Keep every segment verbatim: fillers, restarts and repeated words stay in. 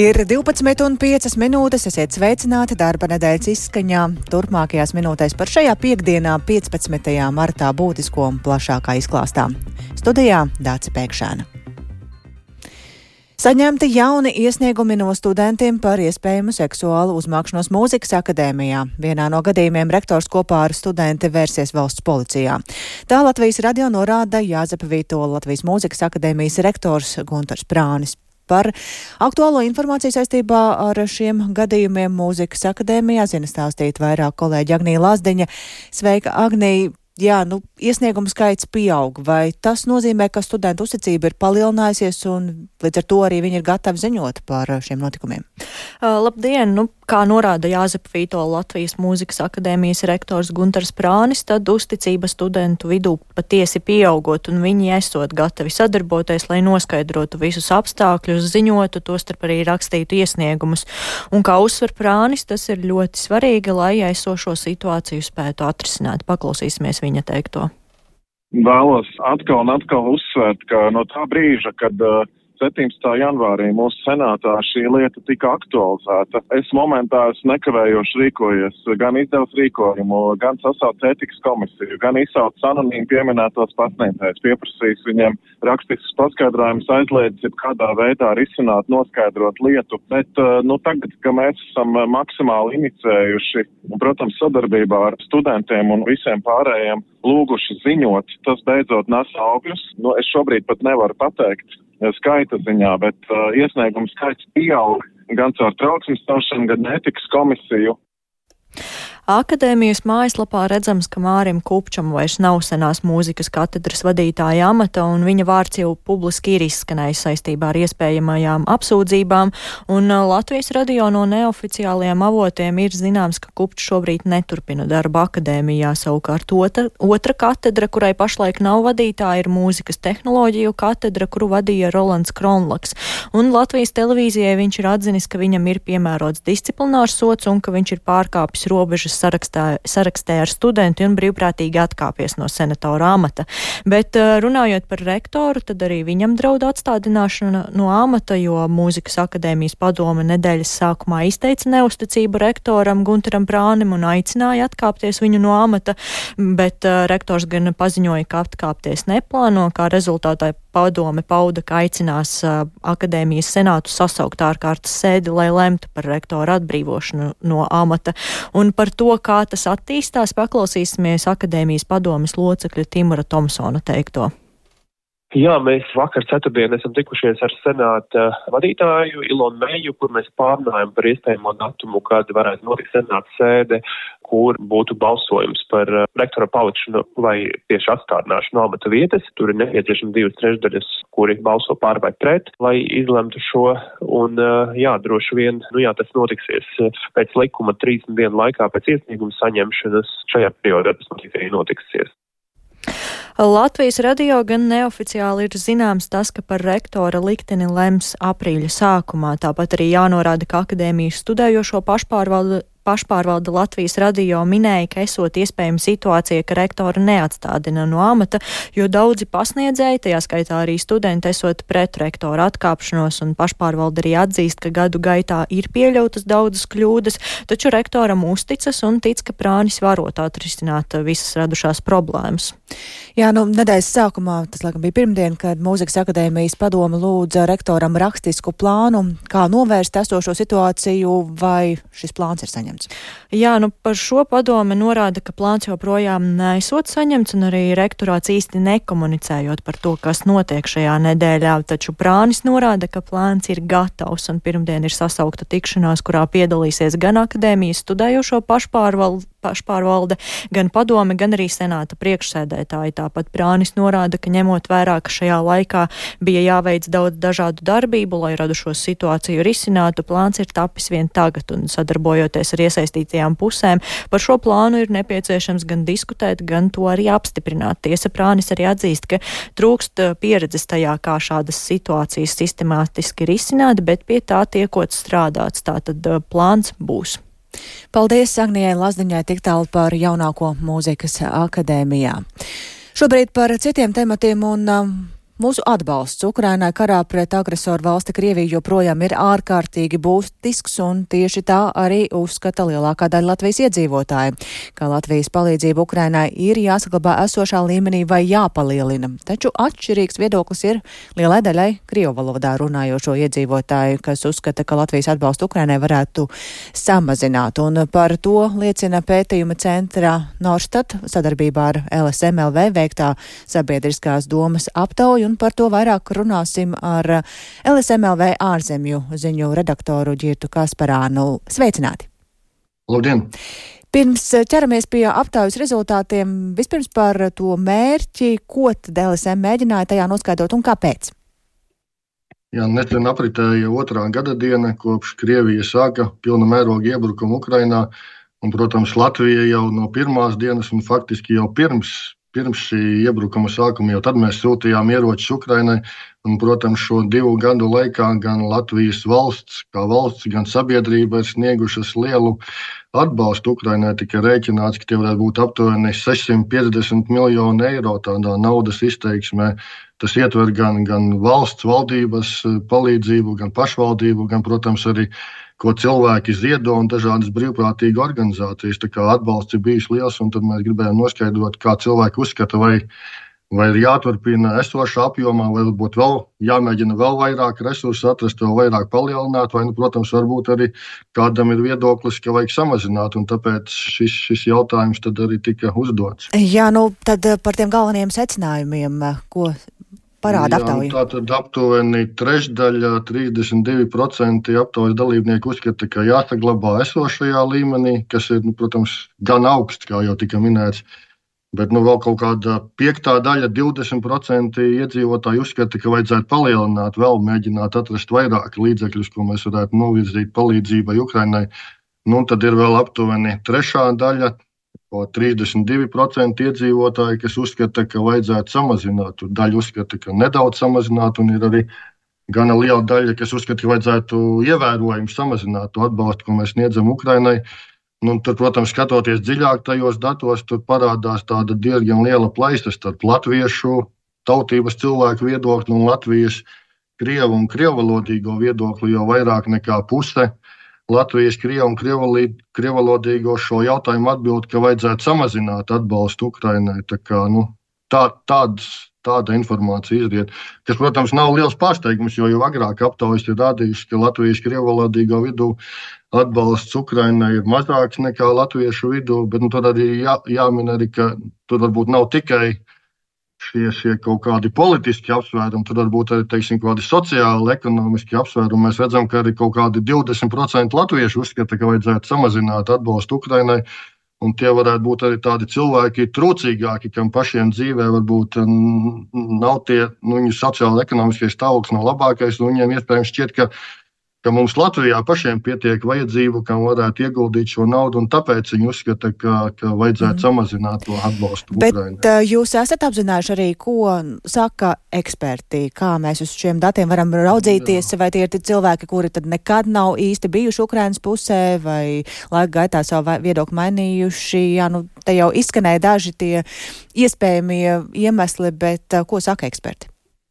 Ir divpadsmit un piecas minūtes, esiet sveicināti darba nedēļas izskaņā. Turpmākajās minūtēs par šajā piekdienā, piecpadsmitajā martā būtisko un plašākā izklāstā. Studijā Dāce Pēkšēna. Saņemti jauni iesniegumi no studentiem par iespējamu seksuālu uzmākšanos mūzikas akadēmijā. Vienā no gadījumiem rektors kopā ar studenti vērsies valsts policijā. Tā Latvijas radio norāda Jāzepa Vītola Latvijas mūzikas akadēmijas rektors Guntars Prānis. Par aktuālo informāciju saistībā ar šiem gadījumiem mūzikas akadēmijā zina stāstīt vairāk kolēģi Agnija Lazdiņa. Sveika, Agnija! Jā, nu, iesniegumu skaits pieaug. Vai tas nozīmē, ka studentu uzticība ir palielinājusies un līdz ar to arī viņi ir gatavi ziņot par šiem notikumiem? Uh, labdien! Nu, kā norāda Jāzepa Vītola Latvijas mūzikas akadēmijas rektors Guntars Prānis, tad uzticība studentu vidū patiesi pieaugot un viņi esot gatavi sadarboties, lai noskaidrotu visus apstākļus, ziņotu, tostarp arī rakstītu iesniegumus. Un kā uzsver Prānis, tas ir ļoti svarīgi, lai esošo situāciju spētu atrisināt. Paklausīsimies viņa teikto. Vēlos atkal un atkal uzsvērt, ka no tā brīža, kad uh, septiņpadsmitā janvārī mūsu senātā šī lieta tika aktualizēta, es momentā es nekavējoši rīkojies, gan izdevusi rīkojumu, gan sasaucu ētikas komisiju, gan izsaucu anonīmi pieminētos pasniedzējus, pieprasījis viņiem rakstiskus paskaidrojumus, aizliedzis jebkādā veidā risināt, noskaidrot lietu, bet, uh, nu, tagad, ka mēs esam maksimāli inicējuši, un, protams, sadarbībā ar studentiem un visiem pārējiem lūguši ziņot, tas beidzot nes augļus. Nu, es šobrīd pat nevaru pateikt skaita ziņā, bet uh, iesniegumu skaits pieaug gan caur trauksmes celšanu, gan ētikas komisiju. Akadēmijas mājaslapā redzams, ka Mārim Kupčam vairs nav senās mūzikas katedras vadītāja amata, un viņa vārds jau publiski ir izskanējis saistībā ar iespējamajām apsūdzībām, un Latvijas radio no neoficiālajiem avotiem ir zināms, ka Kupčs šobrīd neturpina darbu akadēmijā. Savukārt otra, otra katedra, kurai pašlaik nav vadītāja, ir mūzikas tehnoloģiju katedra, kuru vadīja Rolands Kronlaks, un Latvijas televīzijai viņš ir atzinis, ka viņam ir piemērots disciplinārs sods un ka viņš ir pārkāpis robežas sarakstā, sarakstē ar studenti un brīvprātīgi atkāpies no senatora amata. Bet runājot par rektoru, tad arī viņam draud atstādināšana no amata, jo mūzikas akadēmijas padome nedēļas sākumā izteica neusticību rektoram Guntaram Prānim un aicināja atkāpties viņu no amata, bet uh, rektors gan paziņoja, ka atkāpties neplāno, kā rezultātā padome pauda, ka aicinās uh, akadēmijas senātu sasaukt ārkārtas sēdi, lai lemtu par rektoru atbrīvošanu no amata. Un par to, kā tas attīstās, paklausīsimies akadēmijas padomes locekļa Timura Tomsona teikto. Jā, mēs vakar ceturtdien esam tikušies ar senāta vadītāju Ilonu Meju, kur mēs pārnājam par iespējamo datumu, kad varētu notikt senāta sēde, kur būtu balsojums par rektora palikšanu vai tieši atstādināšanu no amata vietas. Tur ir nepieciešami divas trešdaļas, kuri balso pār vai pret, lai izlemtu šo. Un jā, droši vien, nu jā, tas notiksies pēc likuma trīsdesmit dienu laikā pēc iesnieguma saņemšanas. Šajā periodā tas notiks arī notiksies. Latvijas radio gan neoficiāli ir zināms tas, ka par rektora likteni lems aprīļa sākumā. Tāpat arī jānorāda, ka akadēmijas studējošo pašpārvalde pašpārvalde Latvijas radio minēja, ka esot iespējama situācija, ka rektora neatstādina no amata, jo daudzi pasniedzēji, tajā skaitā arī studenti, esot pret rektora atkāpšanos, un pašpārvalde arī atzīst, ka gadu gaitā ir pieļautas daudzas kļūdas, taču rektoram uzticas un tic, ka Prānis varot atrisināt visas radušās problēmas. Jā, nu, nedēļas sākumā, tas laikam bija pirmdien, kad mūzikas akadēmijas padome lūdza rektoram rakstisku plānu, kā novērst esošo situāciju, vai šis plāns ir saņemts. Jā, nu par šo padome norāda, ka plāns joprojām nesot saņemts un arī rektorāts īsti nekomunicējot par to, kas notiek šajā nedēļā, taču Prānis norāda, ka plāns ir gatavs un pirmdien ir sasaukta tikšanās, kurā piedalīsies gan akadēmijas studējošo pašpārvalde, pašpārvalde, gan padome, gan arī senāta priekšsēdētāji. Tāpat Prānis norāda, ka ņemot vērā, ka šajā laikā bija jāveic daudz dažādu darbību, lai radušo situāciju risinātu, plāns ir tapis vien tagad un sadarbojoties ar iesaistītajām pusēm. Par šo plānu ir nepieciešams gan diskutēt, gan to arī apstiprināt. Tiesa, Prānis arī atzīst, ka trūkst pieredzes tajā, kā šādas situācijas sistemātiski risināt, bet pie tā tiekot strādāts. Tātad plāns būs. Paldies Agnijai Lazdiņai tik tālu par jaunāko mūzikas akadēmijā. Šobrīd par citiem tematiem un um, Mūsu atbalsts Ukrainai karā pret agresoru valsti Krieviju joprojām ir ārkārtīgi būtisks, un tieši tā arī uzskata lielākā daļa Latvijas iedzīvotāji, ka Latvijas palīdzība Ukrainai ir jāsaglabā esošā līmenī vai jāpalielina. Taču atšķirīgs viedoklis ir lielai daļai krievu valodā runājošo iedzīvotāju, kas uzskata, ka Latvijas atbalstu Ukrainai varētu samazināt. Un par to liecina pētījuma centra Norstat sadarbībā ar L S M L V veiktā sabiedriskās domas aptauja. Un par to vairāk runāsim ar L S M L V ārzemju ziņu redaktoru Ģirtu Kasparānu. Sveicināti! Labdien! Pirms ķeramies pie aptaujas rezultātiem, vispirms par to mērķi, ko tad L S M mēģināja tajā noskaidrot un kāpēc? Jā, nesen apritēja otrā gada diena, kopš Krievija sāka pilna mēroga iebrukumu Ukrainā. Un, protams, Latvija jau no pirmās dienas un faktiski jau pirms Pirms šī iebrukuma sākuma jau tad mēs sūtījām ieročus Ukrainai. Un, protams, šo divu gadu laikā gan Latvijas valsts, kā valsts, gan sabiedrība ir sniegušas lielu atbalstu Ukrainai. Tika rēķināts, ka tie varētu būt aptuveni sešsimt piecdesmit miljoni eiro tādā naudas izteiksmē. Tas ietver gan, gan valsts valdības palīdzību, gan pašvaldību, gan, protams, arī ko cilvēki ziedo un dažādas brīvprātīga organizācijas. Tā kā atbalsts ir bijis liels, un tad mēs gribējām noskaidrot, kā cilvēki uzskata, vai, vai ir jāturpina esošā apjomā, vai varbūt vēl jāmēģina vēl vairāk resursu atrast, vēl vairāk palielināt, vai, nu, protams, varbūt arī kādam ir viedoklis, ka vajag samazināt, un tāpēc šis, šis jautājums tad arī tika uzdots. Jā, nu tad par tiem galvenajiem secinājumiem, ko parāda aptauja? Jā, tātad aptuveni trešdaļa, trīsdesmit divi procenti aptaujas dalībnieku uzskata, ka jāsaglabā esošajā līmenī, kas ir, nu, protams, gan augsts, kā jau tika minēts. Bet nu, vēl kaut kāda piektā daļa, divdesmit procenti iedzīvotāji uzskata, ka vajadzētu palielināt, vēl mēģināt atrast vairāk līdzekļus, ko mēs varētu novirzīt palīdzībai Ukrainai. Nu, tad ir vēl aptuveni trešā daļa, trīsdesmit divi procenti iedzīvotāji, kas uzskata, ka vajadzētu samazināt. Daļa uzskata, ka nedaudz samazināt, un ir arī gana liela daļa, kas uzskata, ka vajadzētu ievērojami samazināt to atbalstu, ko mēs sniedzam Ukrainai. Nu, tad, protams, skatoties dziļāk tajos datos, tur parādās tāda diezgan liela plaisa starp latviešu tautības cilvēku viedokli un Latvijas krievu un krievvalodīgo viedokli, jo vairāk nekā puse Latvijas krievu un krievvalodīgo šo jautājumu atbild, ka vajadzētu samazināt atbalstu Ukrainai. Tā kā, nu, tā, tāds, tāda informācija izriet, kas, protams, nav liels pārsteigums, jo jau agrāk aptaujas ir rādījuši, ka Latvijas krievvalodīgo vidū atbalsts Ukrainai ir mazāks nekā latviešu vidū, bet nu, tad arī jā, jāmin arī, ka tur varbūt nav tikai Šie, šie kaut kādi politiski apsvērumi, tad varbūt arī, teiksim, kādi sociāli, ekonomiski apsvērumi. Mēs redzam, ka arī kaut kādi divdesmit procenti latviešu uzskata, ka vajadzētu samazināt atbalstu Ukrainai, un tie varētu būt arī tādi cilvēki trūcīgāki, kam pašiem dzīvē varbūt nav tie, nu, viņu sociāli ekonomiskais stāvoklis nav labākais, un viņiem iespējams šķiet, ka ka mums Latvijā pašiem pietiek vajadzību, kam varētu ieguldīt šo naudu, un tāpēc viņi uzskata, ka, ka vajadzētu mm. samazināt to atbalstu Ukrainai. Bet uh, jūs esat apzinājuši arī, ko saka eksperti, kā mēs uz šiem datiem varam raudzīties, Jā. Vai tie ir cilvēki, kuri tad nekad nav īsti bijuši Ukrainas pusē, vai laika gaitā savu viedokli mainījuši. Jā, nu, te jau izskanēja daži tie iespējamie iemesli, bet uh, ko saka eksperti?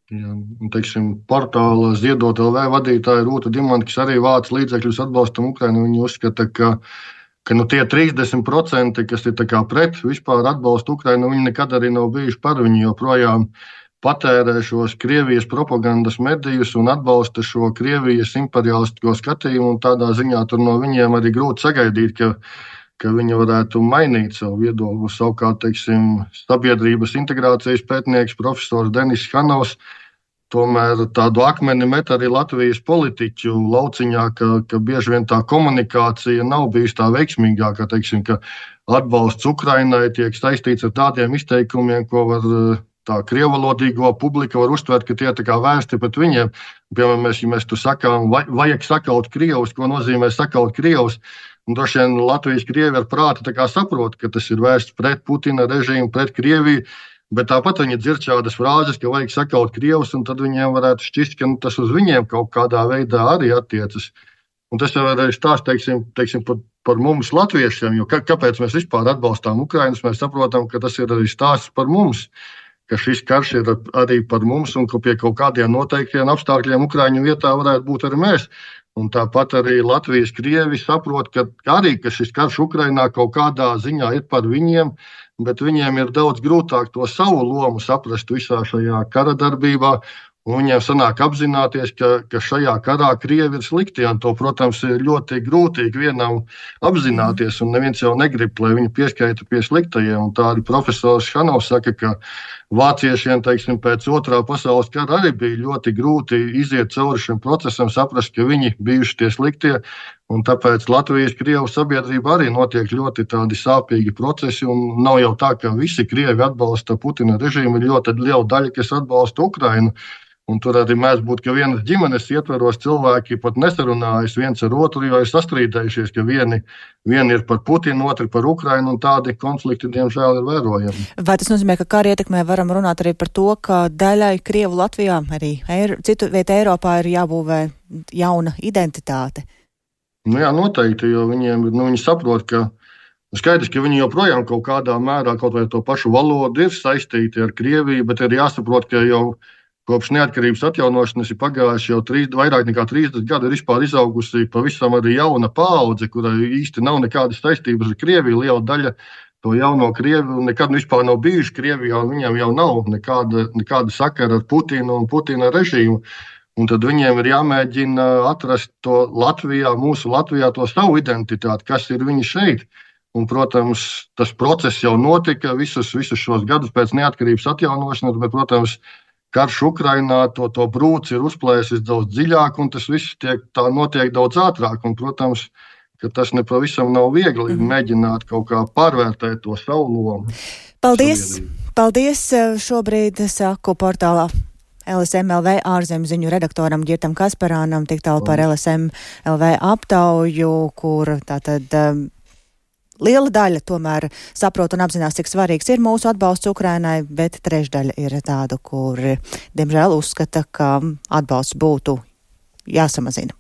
Jā, teiksim, portāla Ziedot L V vadītāja Rūta Dimanta, kas arī vāc līdzekļus atbalstam Ukrainu, viņi uzskata, ka, ka nu, tie trīsdesmit procenti, kas ir tā kā pret vispār atbalstu Ukrainu, viņi nekad arī nav bijuši par, viņi joprojām patērē šos Krievijas propagandas medijus un atbalsta šo Krievijas imperialistisko skatījumu, un tādā ziņā tur no viņiem arī grūti sagaidīt, ka ka viņi varētu mainīt savu viedokli. Savukārt, teiksim, sabiedrības integrācijas pētnieks profesors Denis Hanovs tomēr tādu akmeni met arī Latvijas politiķu lauciņā, ka, ka bieži vien tā komunikācija nav bijusi tā veiksmīgākā, teiksim, ka atbalsts Ukrainai tiek saistīts ar tādiem izteikumiem, ko var tā krievvalodīgo publika var uztvert, ka tie tā kā vērsti pret viņiem. Piemēram, mēs, ja mēs tu sakām, vajag sakaut krievus, ko nozīmē sakaut krievus, un droši vien Latvijas krievi ar prātu tā kā saprot, ka tas ir vērsts pret Putina režīmu, pret Krieviju, bet tāpat viņi dzird šādas frāzes, ka vajag sakaut krievus, un tad viņiem varētu šķist, ka nu, tas uz viņiem kaut kādā veidā arī attiecas. Un tas jau arī stāst, teiksim, teiksim par, par mums latviešiem, jo kā, kāpēc mēs vispār atbalstām Ukrainus, mēs saprotam, ka tas ir arī stāsts par mums, ka šis karš ir arī par mums un ka pie kaut kādiem noteiktiem apstākļiem Ukraiņu vietā varētu būt arī mēs. Un tāpat arī Latvijas krievi saprot, ka arī ka šis karš Ukrainā kaut kādā ziņā ir par viņiem, bet viņiem ir daudz grūtāk to savu lomu saprast visā šajā kara darbībā. Un viņiem sanāk apzināties, ka, ka šajā karā krievi ir slikti. Un to, protams, ir ļoti grūti vienam apzināties. Un neviens jau negrib, lai viņi pieskaita pie sliktajiem. Un tā arī profesors Šanovs saka, ka vāciešiem, teiksim, pēc otrā pasaules kara arī bija ļoti grūti iziet cauri šim procesam, saprast, ka viņi bijuši tie sliktie. Un tāpēc Latvijas krievu sabiedrība arī notiek ļoti tādi sāpīgi procesi. Un nav jau tā, ka visi krievi atbalsta Putina režīmu. Ir ļoti liela daļa, kas atbalsta Ukrainu. Un tur arī mēdz būt, ka vienas ģimenes ietveros cilvēki pat nesarunājas viens ar otru, jo ir sastrīdējušies, ka vieni, vieni ir par Putinu, otri par Ukrainu, un tādi konflikti, diemžēl, ir vērojami. Vai tas nozīmē, ka kara ietekmē varam runāt arī par to, ka daļai Krievu Latvijā, arī Eiro, citu vietu Eiropā ir jābūvē jauna identitāte? Nu jā, noteikti, jo viņiem, nu, viņi saprot, ka skaidrs, ka viņi joprojām kaut kādā mērā, kaut vai to pašu valodu ir saistīti ar Krieviju, bet ir jāsaprot, ka jau kopš neatkarības atjaunošanas ir pagājuši jau trīs, vairāk nekā trīsdesmit gadi, ir vispār izaugusi pavisam arī jauna paudze, kurai īsti nav nekādas saistības ar Krieviju. Liela daļa to jauno Krievu nekad vispār nav bijuši Krievijā, un viņiem jau nav nekāda, nekāda sakara ar Putinu un Putina režīmu. Un tad viņiem ir jāmēģina atrast to Latvijā, mūsu Latvijā, to savu identitāti, kas ir viņi šeit. Un, protams, tas process jau notika visus, visus šos gadus pēc neatkarības atjaunošanas, bet, protams, karš Ukrainā to, to brūci ir uzplēsis daudz dziļāk, un tas viss tiek, tā notiek daudz ātrāk. Un, protams, ka tas nepavisam nav viegli mm. mēģināt kaut kā pārvērtēt to savu lomu. Paldies! Sabiedrību. Paldies! Šobrīd saku portālā L S M L V ārzemju ziņu redaktoram Girtam Kasparānam tik tālu par L S M L V aptauju, kur tātad liela daļa tomēr saprot un apzinās, cik svarīgs ir mūsu atbalsts Ukrainai, bet trešdaļa ir tādu, kur, diemžēl, uzskata, ka atbalsts būtu jāsamazina.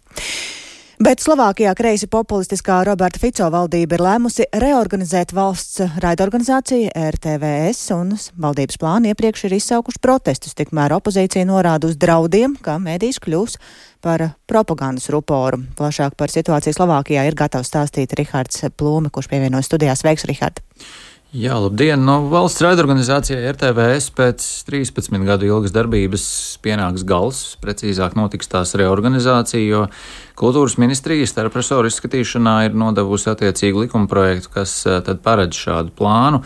Bet Slovākijā kreisi populistiskā Roberta Fico valdība ir lēmusi reorganizēt valsts raidorganizāciju R T V S, un valdības plāni iepriekš ir izsaukuši protestus. Tikmēr opozīcija norāda uz draudiem, ka mēdījis kļūs par propagandas ruporu. Plašāk par situāciju Slovākijā ir gatavs stāstīt Rihards Plūme, kurš pievienojas studijā. Sveiks, Rihard! Jā, labdien! No valsts raidorganizācijai R T V S pēc trīspadsmit gadu ilgas darbības pienāks gals, precīzāk notiks tās reorganizācija, jo Kultūras ministrija starpresoru izskatīšanā ir nodevusi attiecīgu likumprojektu, kas tad paredz šādu plānu.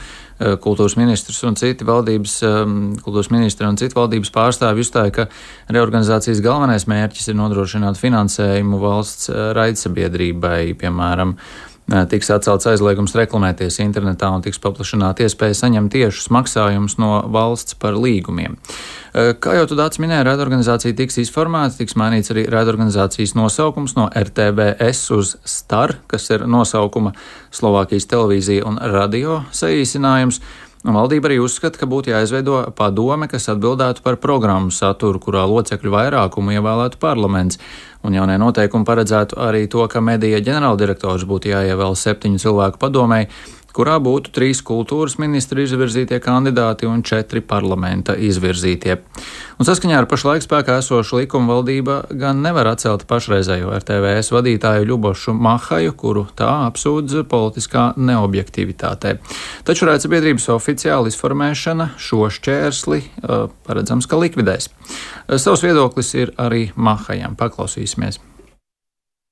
Kultūras ministrs un citi valdības, kultūras ministri un citi valdības pārstāvji uzstāja, ka reorganizācijas galvenais mērķis ir nodrošināt finansējumu valsts raidsabiedrībai, piemēram, tiks atcelts aizliegums reklamēties internetā un tiks paplašināta iespēja saņemt tiešus maksājumus no valsts par līgumiem. Kā jau tu Dācis minēji, raidorganizācija tiks izformēta, tiks mainīts arī raidorganizācijas nosaukums no R T V S uz Star, kas ir nosaukuma Slovākijas televīzija un radio saīsinājums. Valdība arī uzskata, ka būtu jāizveido padome, kas atbildētu par programmu saturu, kurā locekļu vairākumu ievēlētu parlaments. Un jaunie noteikumi paredzētu arī to, ka medija ģenerāldirektors būtu jāievēl septiņu cilvēku padomei, kurā būtu trīs kultūras ministri izvirzītie kandidāti un četri parlamenta izvirzītie. Un saskaņā ar pašlaik spēkā esošu likumu valdība gan nevar atcelt pašreizējo R T V S vadītāju Ļubošu Mahaju, kuru tā apsūdz politiskā neobjektivitātē. Taču raidsabiedrības oficiāla izformēšana šo šķērsli paredzams, ka likvidēs. Savs viedoklis ir arī Mahajam. Paklausīsimies.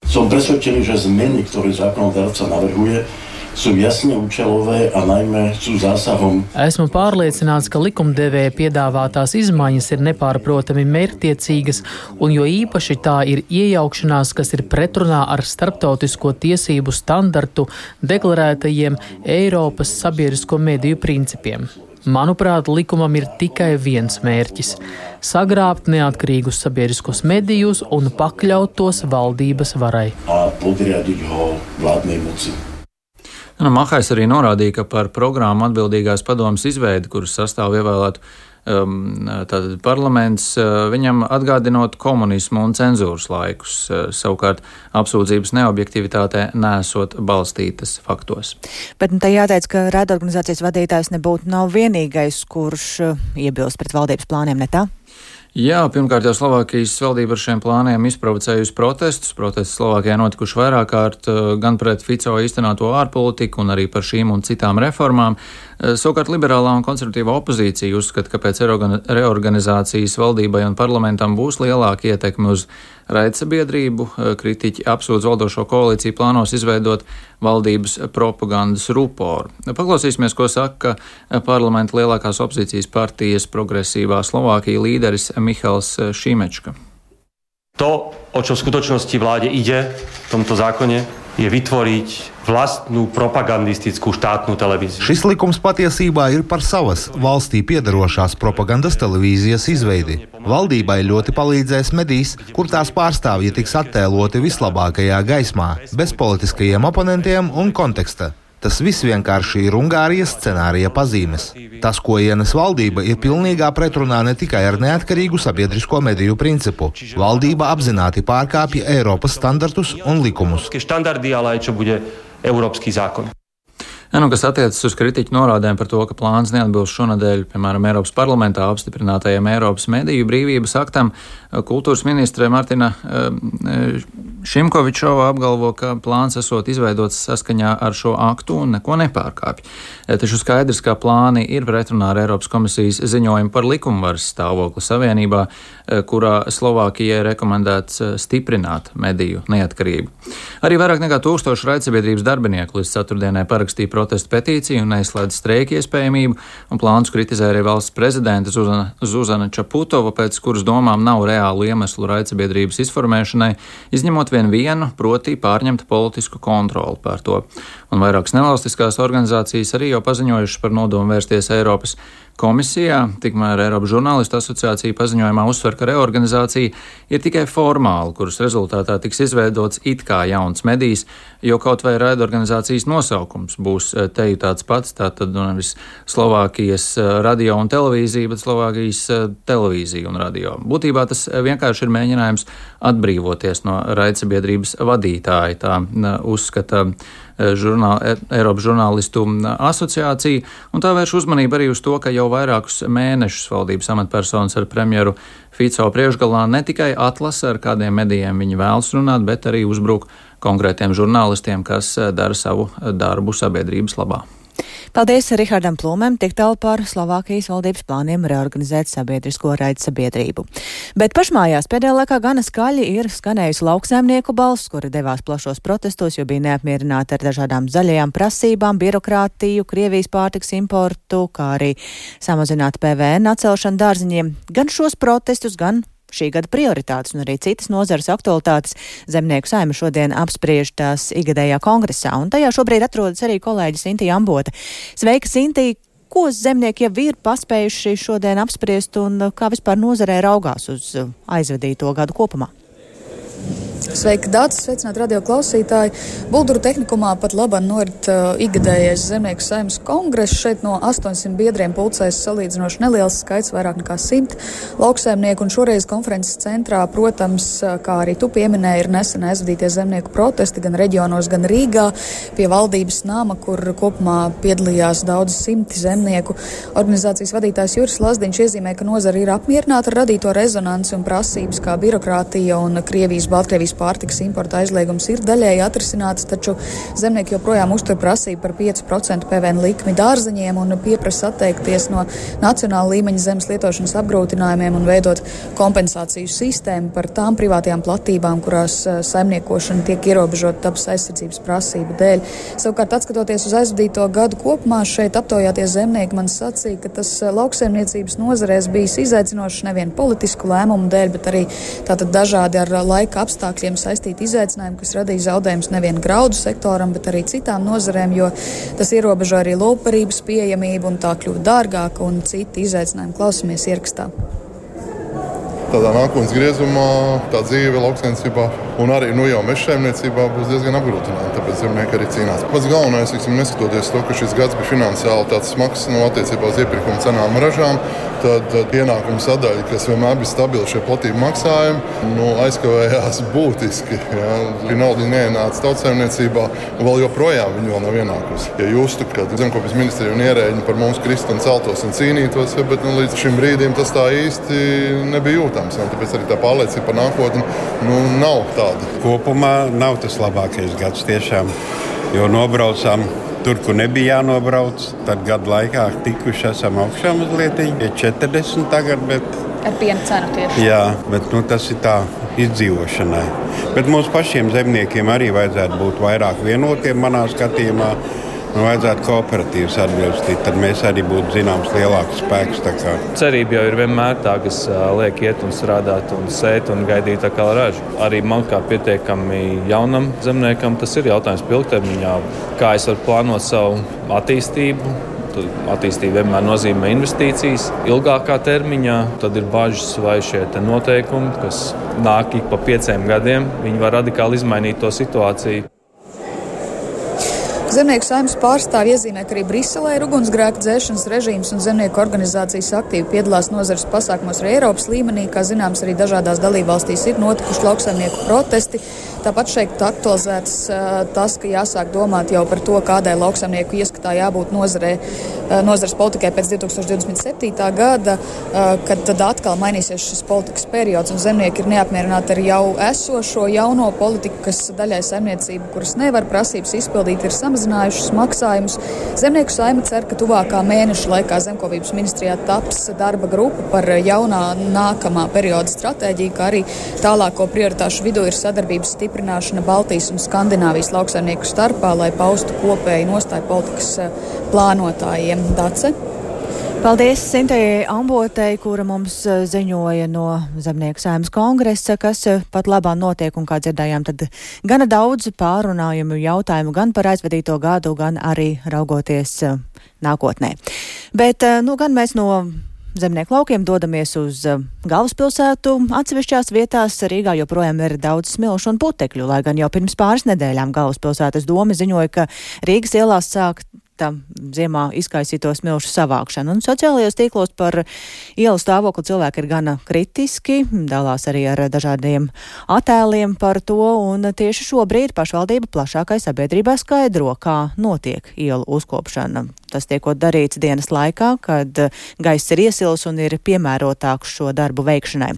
Som presvedčený, že zmeny, ktoré zákonodarca navrhuje, sú jasne účelové a najmä sú zásahom. Esmu pārliecināts, ka likumdevēja piedāvātās izmaiņas ir nepārprotami mērķtiecīgas, un jo īpaši tā ir iejaukšanās, kas ir pretrunā ar starptautisko tiesību standartu deklarētajiem Eiropas sabiedrisko mediju principiem. Manuprāt, likumam ir tikai viens mērķis – sagrābt neatkarīgus sabiedriskos medijus un pakļaut tos valdības varai. A podriadiť ho vládnej moci. Nu, Mahajs arī norādīja, ka par programmu atbildīgās padomas izveidi, kuras sastāvu ievēlētu tātad parlaments, viņam atgādinot komunismu un cenzūras laikus, savukārt apsūdzības neobjektivitātē nesot balstītas faktos. Bet nu, te jāteic, ka raidorganizācijas vadītājs nebūtu nav vienīgais, kurš iebilst pret valdības plāniem, ne tā? Jā, pirmkārt jau Slovākijas valdība ar šiem plāniem izprovocējusi protestus. Protesti Slovākijā notikuši vairāk kārt gan pret Fico īstenoto ārpolitiku un arī par šīm un citām reformām. Savukārt liberālā un konservatīvā opozīcija uzskata, ka pēc reorganizācijas valdībai un parlamentam būs lielāka ietekme uz raidsabiedrību. Kritiķi apsūdz valdošo koalīciju plānos izveidot valdības propagandas ruporu. Paklausīsimies, ko saka parlamenta lielākās opozīcijas partijas Progresīvā Slovākija līderis Michals Šimečka. To, o čo v skutočnosti vláde ide v tomto zákone, je vytvoriť vlastnú propagandistickú štátnu televíziu. Šis likums patiesībā ir par savas valstī piedarošās propagandas televīzijas izveidi. Valdībai ļoti palīdzēs medijs, kur tās pārstāvji tiks attēloti vislabākajā gaismā, bez politiskajiem oponentiem un konteksta. Tas viss vienkārši ir Ungārijas scenārija pazīmes. Tas, ko ienes valdība, ir pilnīgā pretrunā ne tikai ar neatkarīgu sabiedrisko mediju principu. Valdība apzināti pārkāpja Eiropas standartus un likumus. Štandardi, ale aj čo bude európsky zákon. Ja, nu, kas attiecas uz kritiķu norādēm par to, ka plāns neatbilst šonadēļ, piemēram, Eiropas parlamentā apstiprinātajam Eiropas mediju brīvības aktam, kultūras ministre Martina Šimkovičova apgalvo, ka plāns esot izveidots saskaņā ar šo aktu un neko nepārkāpj. Taču skaidrs, ka plāni ir pretrunā ar Eiropas komisijas ziņojumu par likumvaras stāvokli savienībā, kurā Slovākijai rekomendēts stiprināt mediju neatkarību. Arī vairāk nekā tūkstoši raidsabiedrības darbinieku līdz ceturtdienai parakstīja protestu petīciju un neizslēdz streika iespējamību, un plānus kritizē arī valsts prezidente Zuzana, Zuzana Čaputova, pēc kuras domām nav reālu iemeslu raidsabiedrības izformēšanai, izņemot vien vienu, proti pārņemt politisku kontroli pār to. Un vairākas nevalstiskās organizācijas arī jau paziņojušas par nodomu vērsties Eiropas komisijā, tikmēr Eiropas žurnālistu asociācija paziņojumā uzsver, ka reorganizācija ir tikai formāla, kuras rezultātā tiks izveidots it kā jauns medijs, jo kaut vai raidorganizācijas nosaukums būs teju tāds pats, tātad nevis Slovākijas radio un televīzija, bet Slovākijas televīzija un radio. Būtībā tas vienkārši ir mēģinājums atbrīvoties no raidsabiedrības vadītāja, tā uzskata žurnāl, Eiropas žurnālistu asociācija, un tā vērš uzmanību arī uz to, ka jau vairākus mēnešus valdības amatpersonas ar premjeru Fico priekšgalā ne tikai atlasa, ar kādiem medijiem viņi vēlas runāt, bet arī uzbruk konkrētiem žurnālistiem, kas dara savu darbu sabiedrības labā. Paldies Rihardam Plūmēm, tik tālu par Slovākijas valdības plāniem reorganizēt sabiedrisko raidsabiedrību. Bet pašmājās pēdējā laikā gana skaļi ir skanējusi lauksaimnieku balss, kuri devās plašos protestos, jo bija neapmierināti ar dažādām zaļajām prasībām, birokrātiju, Krievijas pārtikas importu, kā arī samazināt P V N atcelšanu dārziņiem. Gan šos protestus, gan šī gada prioritātes un arī citas nozares aktualitātes Zemnieku saime šodien apspriež tās ikgadējā kongresā, un tajā šobrīd atrodas arī kolēģis Intija Ambota. Sveika, Intija! Ko zemnieki jau ir paspējuši šodien apspriest un kā vispār nozarē raugās uz aizvadīto gadu kopumā? Sveiki, Dācis, sveicināt radio klausītāji. Bulduru tehnikumā pat labāk norit uh, ikgadējais Zemnieku saimnes kongress. Šeit no astoņsimt biedriem pulcēs salīdzinoši neliels skaits, vairāk nekā simt lauksaimnieku. Un šoreiz konferences centrā, protams, kā arī tu pieminēji, ir nesen aizvadītie zemnieku protesti gan reģionos, gan Rīgā pie valdības nama, kur kopumā piedalījās daudz simti zemnieku. Organizācijas vadītājs Juris Lazdiņš iezīmē, ka nozara ir apmierināta ar radīto rezonanci un prasības, kā birokrātija un Krievijas, Baltkrievijas pārtikas importa aizliegums ir daļēji atrisināts, taču zemnieki joprojām uztur prasību par pieci procenti P V N likmi dārziņiem un pieprasa atteikties no nacionāla līmeņa zemes lietošanas apgrūtinājumiem un veidot kompensāciju sistēmu par tām privātajām platībām, kurās saimniekošana tiek ierobežota dabas aizsardzības prasību dēļ. Savukārt, atskatoties uz aizvadīto gadu kopumā, šeit aptaujātie zemnieki man sacīja, ka tas lauksaimniecības nozarēs bijis izaicinošs nevien politisku lēmumu dēļ, bet arī tātad dažādi ar laika apstākļiem saistīti izaicinājumi, kas radīja zaudējumus nevien graudu sektoram, bet arī citām nozarēm, jo tas ierobežo arī lopbarības pieejamību un tā kļuva dārgāka un citi izaicinājumi. Klausamies ierakstā. Tādā nākotnes griezumā tā dzīve lauksaimniecībā un arī nu, jau meža saimniecībā būs diezgan apgrūtināti, tāpēc zemnieki arī cīnās. Pats galvenais, tiksim, neskatoties to, ka šis gads bija finansiāli tāds smags no attiecībā uz iepirkuma cenām ražām, tad, tad ienākuma sadaļa, kas vienmēr bija stabila šie platību maksājumi, nu, aizkavējās būtiski. Ja. Šī nauda neienāca tautsaimniecībā, un vēl joprojām viņi vēl nav ienākusi. Ja justu, ka zemkopības ministrija un ierēģi par mums krist un celtos un cīnītos, ja, bet nu, līdz šim brīdim tas tā īsti nebija jūtams. Ja, tāpēc arī tā pārliecība par nākotni nu, nav tāda. Kopumā nav tas labākais gads tiešām, jo nobraucām tur, kur nebija jānobrauc. Tad gadu laikā tikuši esam augšā mazliet, ja četrdesmit tagad, bet... Ar piena cenu tieši. Jā, bet nu, tas ir tā izdzīvošanai. Bet mums pašiem zemniekiem arī vajadzētu būt vairāk vienotiem manā skatījumā. Nu, vajadzētu kooperatīvas atbilstīt, tad mēs arī būtu zināms lielāks spēks. Cerība jau ir vienmēr tā, kas liek iet un strādāt un sēt un gaidīt atkal ražu. Arī man kā pietiekami jaunam zemniekam tas ir jautājums ilgtermiņā. Kā es varu plānot savu attīstību? Attīstība vienmēr nozīmē investīcijas. Ilgākā termiņā tad ir bažas vai šie noteikumi, kas nāk ik pa pieciem gadiem. Viņi var radikāli izmainīt to situāciju. Zemnieku saimnes pārstāvji iezīmē, ka arī Briselē ir ugunsgrēka dzēšanas režīms un zemnieku organizācijas aktīvi piedalās nozares pasākumos arī Eiropas līmenī. Kā zināms, arī dažādās dalībvalstīs ir notikuši lauksaimnieku protesti. Tāpat šeit aktualizēts uh, tas, ka jāsāk domāt jau par to, kādai lauksaimnieku ieskatā jābūt nozarē, uh, nozares politikai pēc divi tūkstoši divdesmit septītā gada, uh, kad tad atkal mainīsies šis politikas periods un zemnieki ir neapmierināti ar jau esošo jauno politiku, kas daļai saimniecību, kuras nevar prasības izpildīt, ir samazinājušas maksājumus. Zemnieku saime cer, ka tuvākā mēneša laikā zemkopības ministrijā taps darba grupa par jaunā nākamā perioda stratēģiju, kā arī tālāko prioritāšu vidū ir sadarbības stiprināšana Baltijas un Skandināvijas lauksaimnieku starpā, lai paustu kopēju nostāju politikas plānotājiem. Dace? Paldies Sintējai Ambotei, kura mums ziņoja no Zemnieku saimnes kongresa, kas pat labā notiek un, kā dzirdējām, tad gana daudz pārunājumu jautājumu gan par aizvadīto gadu, gan arī raugoties nākotnē. Bet, nu, gan mēs no zemnieku laukiem dodamies uz galvaspilsētu. Atsevišķās vietās Rīgā joprojām ir daudz smilšu un putekļu, lai gan jau pirms pāris nedēļām galvaspilsētas doma ziņoja, ka Rīgas ielās sāk ziemā izkaisīto smilšu savākšanu. Un sociālajos tīklos par ielu stāvokli cilvēki ir gana kritiski, dalās arī ar dažādiem attēliem par to, un tieši šobrīd pašvaldība plašākai sabiedrībā skaidro, kā notiek ielu uzkopšana. Tas tiekot darīts dienas laikā, kad gaiss ir iesils un ir piemērotāks šo darbu veikšanai.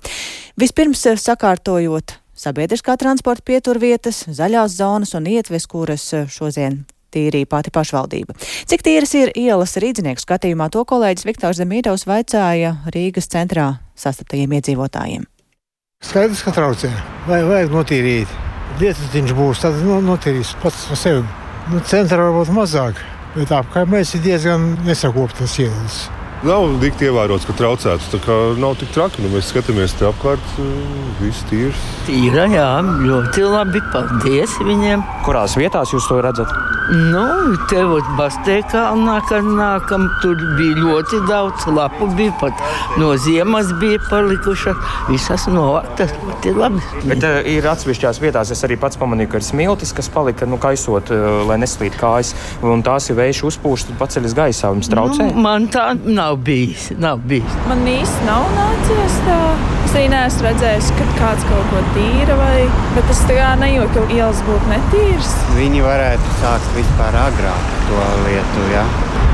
Vispirms sakārtojot sabiedriskā transporta pieturvietas, zaļās zonas un ietves, kuras šodien tīrīja pati pašvaldība. Cik tīras ir ielas rīdzinieku skatījumā, to kolēģis Viktors Zemīdovs vaicāja Rīgas centrā sastaptajiem iedzīvotājiem. Skaidrs, ka traucē. Vai vajag notīrīt. Lietutiņš būs, tad no, notīrīs pats par sevi. Nu, centrā varbūt mazāk, bet apkārt mēs ir diezgan nesakoptas ielas. Nav dikti ievērots, ka traucēts, tā kā nav tik traki. Nu, mēs skatāmies te apkārt, viss tīrs. Tīra, jā, ļoti labi, paldies viņiem. Kurās vietās jūs to redzat? Nu, te ot Basteikalnā, kad nākam, tur bija ļoti daudz lapu, bija pat no ziemas bija palikušas, visas novāktas, ļoti labi. Bet uh, ir atsevišķās vietās, es arī pats pamanīju, ka ir smiltis, kas palika, nu, kaisot, uh, lai neslīd kājas, un tās ir vējš uzpūš, tad paceļas gaisā, viņas traucē? Nu, man tā nav. Nav bijis, nav bijis. Man īsti nav nācies tā. Es arī neesmu redzējis, ka kāds kaut ko tīra vai... Bet es tā kā nejūtu, ka ielas būtu netīras. Viņi varētu sākt vispār agrāk to lietu, jā.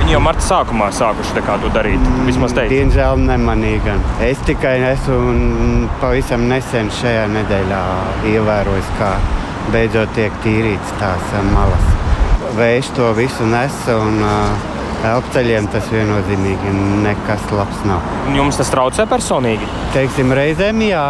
Viņi jau marta sākumā sākuši tā kā to darīt, vismaz teikt. Diemžēl nemanīju gan. Es tikai esmu pavisam nesen šajā nedēļā ievērojis, kā beidzot tiek tīrīts tās malas. Vējš to visu nes un... Elpceļiem tas viennozīmīgi nekas labs nav. Jums tas traucē personīgi? Teiksim, reizēm jā.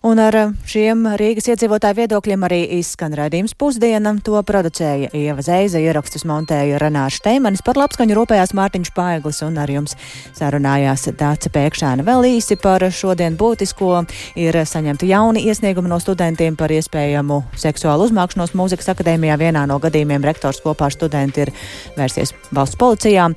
Un ar šiem Rīgas iedzīvotāju viedokļiem arī izskan raidījums Pusdiena. To producēja Ieva Zeiza, ierakstus montēja Renārs Šteimanis, par labskaņu rūpējās Mārtiņš Paeglis un ar jums sarunājās Dāce Pēkšēna. Vēl īsi par šodien būtisko ir saņemti jauni iesniegumi no studentiem par iespējamu seksuālu uzmākšanos Mūzikas akadēmijā. Vienā no gadījumiem rektors kopā ar studenti ir vērsies valsts policijā.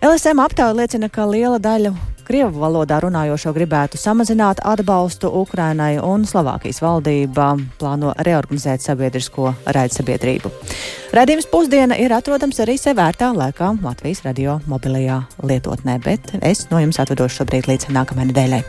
L S M aptāja liecina, ka liela daļa krievu valodā runājošo gribētu samazināt atbalstu Ukrainai, un Slovākijas valdība plāno reorganizēt sabiedrisko raidsabiedrību. Raidījums Pusdiena ir atrodams arī sev vērtā laikā Latvijas radio mobilajā lietotnē, bet es no jums atvedošu šobrīd līdz nākamajai nedēļai.